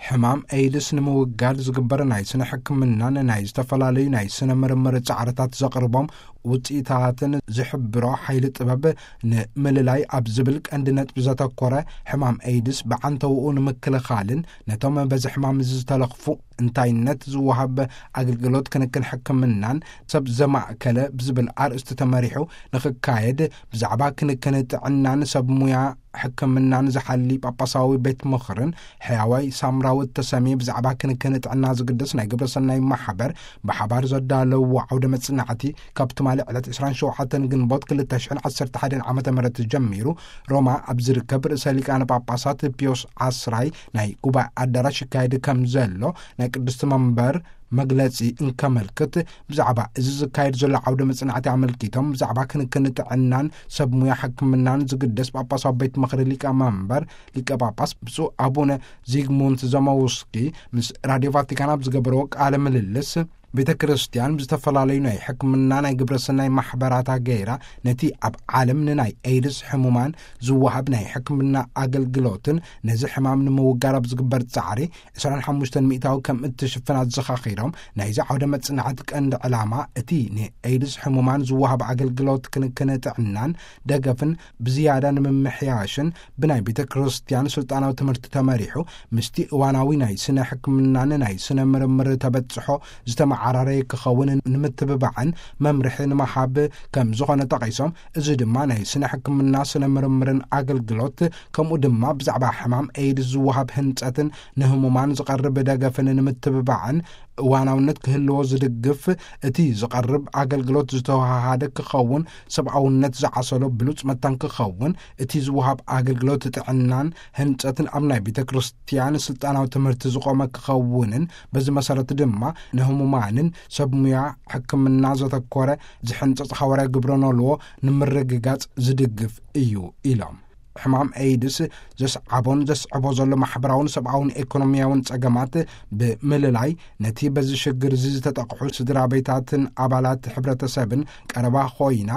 ሕማም ኤድስ ንምውጋድ ዝግበር ናይ ስነ ሕክምናን ናይ ዝተፈላለዩ ናይ ስነ ምርምር ጻዕርታት ዘቕርቦም ውጽኢታትን ዝሕብሮ ሓይሊ ጥበብ፣ ንምልላይ ኣብ ዝብል ቀንዲ ነጥቢ ዘተኮረ፣ ሕማም ኤድስ ብዓንተውኡ ንምክልኻልን ነቶም በዚ ሕማም እዚ ዝተለኽፉ እንታይነት ዝወሃብ ኣገልግሎት ክንክን ሕክምናን ሰብ ዘማእከለ ብዝብል ኣርእስቲ ተመሪሑ ንኽካየድ፣ ብዛዕባ ክንክን ጥዕናን ሰብ ሙያ ሕክምናን ዝሓሊ ጳጳሳዊ ቤት ምኽርን ሕያዋይ ሳምራዊ እተሰምየ ብዛዕባ ክንክን ጥዕና ዝግደስ ናይ ግብረ ሰናይ ማሕበር ብሓባር ዘዳለዎ ዓውደ መጽናዕቲ፣ ካብ ትማሊ ዕለት ዕስራን ሸውዓተን ግንቦት ክልተ ሽሕን ዓሰርተ ሓደን ዓመተ ምህረት ጀሚሩ፣ ሮማ ኣብ ዝርከብ ርእሰ ሊቃነ ጳጳሳት ፒዮስ ዓስራይ ናይ ጉባኤ ኣዳራሽ ይካየድ ከም ዘሎ ናይ ቅድስቲ መንበር መግለጺ እንከመልክት፣ ብዛዕባ እዚ ዝካየድ ዘሎ ዓውደ መጽናዕቲ ኣመልኪቶም፣ ብዛዕባ ክንክን ጥዕናን ሰብ ሙያ ሕክምናን ዝግደስ ጳጳሳዊ ቤት ምኽሪ ሊቀ መንበር ሊቀ ጳጳስ ብፁዕ ኣቡነ ዚግሙንት ዘመውስኪ ምስ ራድዮ ቫቲካን ኣብ ዝገበርዎ ቃለ ምልልስ፣ ቤተ ክርስቲያን ብዝተፈላለዩ ናይ ሕክምና ናይ ግብረ ሰናይ ማሕበራታ ገይራ፣ ነቲ ኣብ ዓለም ንናይ ኤድስ ሕሙማን ዝወሃብ ናይ ሕክምና ኣገልግሎትን ነዚ ሕማም ንምውጋድ ኣብ ዝግበር ጻዕሪ ዕስራን ሓሙሽተን ሚእታዊ ከም እትሽፍን ኣዘኻኺሮም፣ ናይዚ ዓውደ መጽናዕቲ ቀንዲ ዕላማ እቲ ንኤድስ ሕሙማን ዝወሃብ ኣገልግሎት ክንክን ጥዕናን ደገፍን ብዝያዳ ንምምሕያሽን፣ ብናይ ቤተ ክርስቲያን ስልጣናዊ ትምህርቲ ተመሪሑ፣ ምስቲ እዋናዊ ናይ ስነ ሕክምናን ናይ ስነ ምርምር ተበጽሖ ዝተመዓራረየ ክኸውን ንምትብባዕን መምርሒ ንምሃብ ከም ዝኾነ ጠቒሶም፣ እዚ ድማ ናይ ስነ ሕክምና፣ ስነ ምርምርን ኣገልግሎት፣ ከምኡ ድማ ብዛዕባ ሕማም ኤድስ ዝወሃብ ህንጸትን ንህሙማን ዝቐርብ ደገፍን ንምትብባዕን እዋናውነት ክህልዎ ዝድግፍ፣ እቲ ዝቐርብ ኣገልግሎት ዝተወሃሃደ ክኸውን፣ ሰብኣውነት ዝዓሰሎ ብሉጽ መታን ክኸውን፣ እቲ ዝወሃብ ኣገልግሎት ጥዕናን ህንጸትን ኣብ ናይ ቤተ ክርስቲያን ስልጣናዊ ትምህርቲ ዝቖመ ክኸውንን፣ በዚ መሰረት ድማ ንህሙማንን ሰብ ሙያ ሕክምና ዘተኮረ ዝሕንጸጽ ሓዋርያ ግብረ ኖልዎ ንምርግጋጽ ዝድግፍ እዩ ኢሎም። ሕማም ኤድስ ዘስዓቦን ዘስዕቦ ዘሎ ማሕበራውን ሰብኣውን ኤኮኖሚያውን ጸገማት ብምልላይ፣ ነቲ በዚ ሽግር እዚ ዝተጠቕሑ ስድራ ቤታትን ኣባላት ሕብረተሰብን ቀረባ ኾይና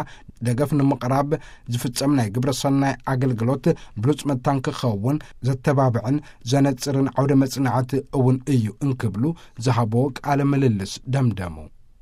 ደገፍ ንምቕራብ ዝፍጸም ናይ ግብረ ሰናይ ኣገልግሎት ብሉጽ መታን ክኸውን ዘተባብዕን ዘነጽርን ዓውደ መጽናዕቲ እውን እዩ እንክብሉ ዝሃቦ ቃለ ምልልስ ደምደሙ።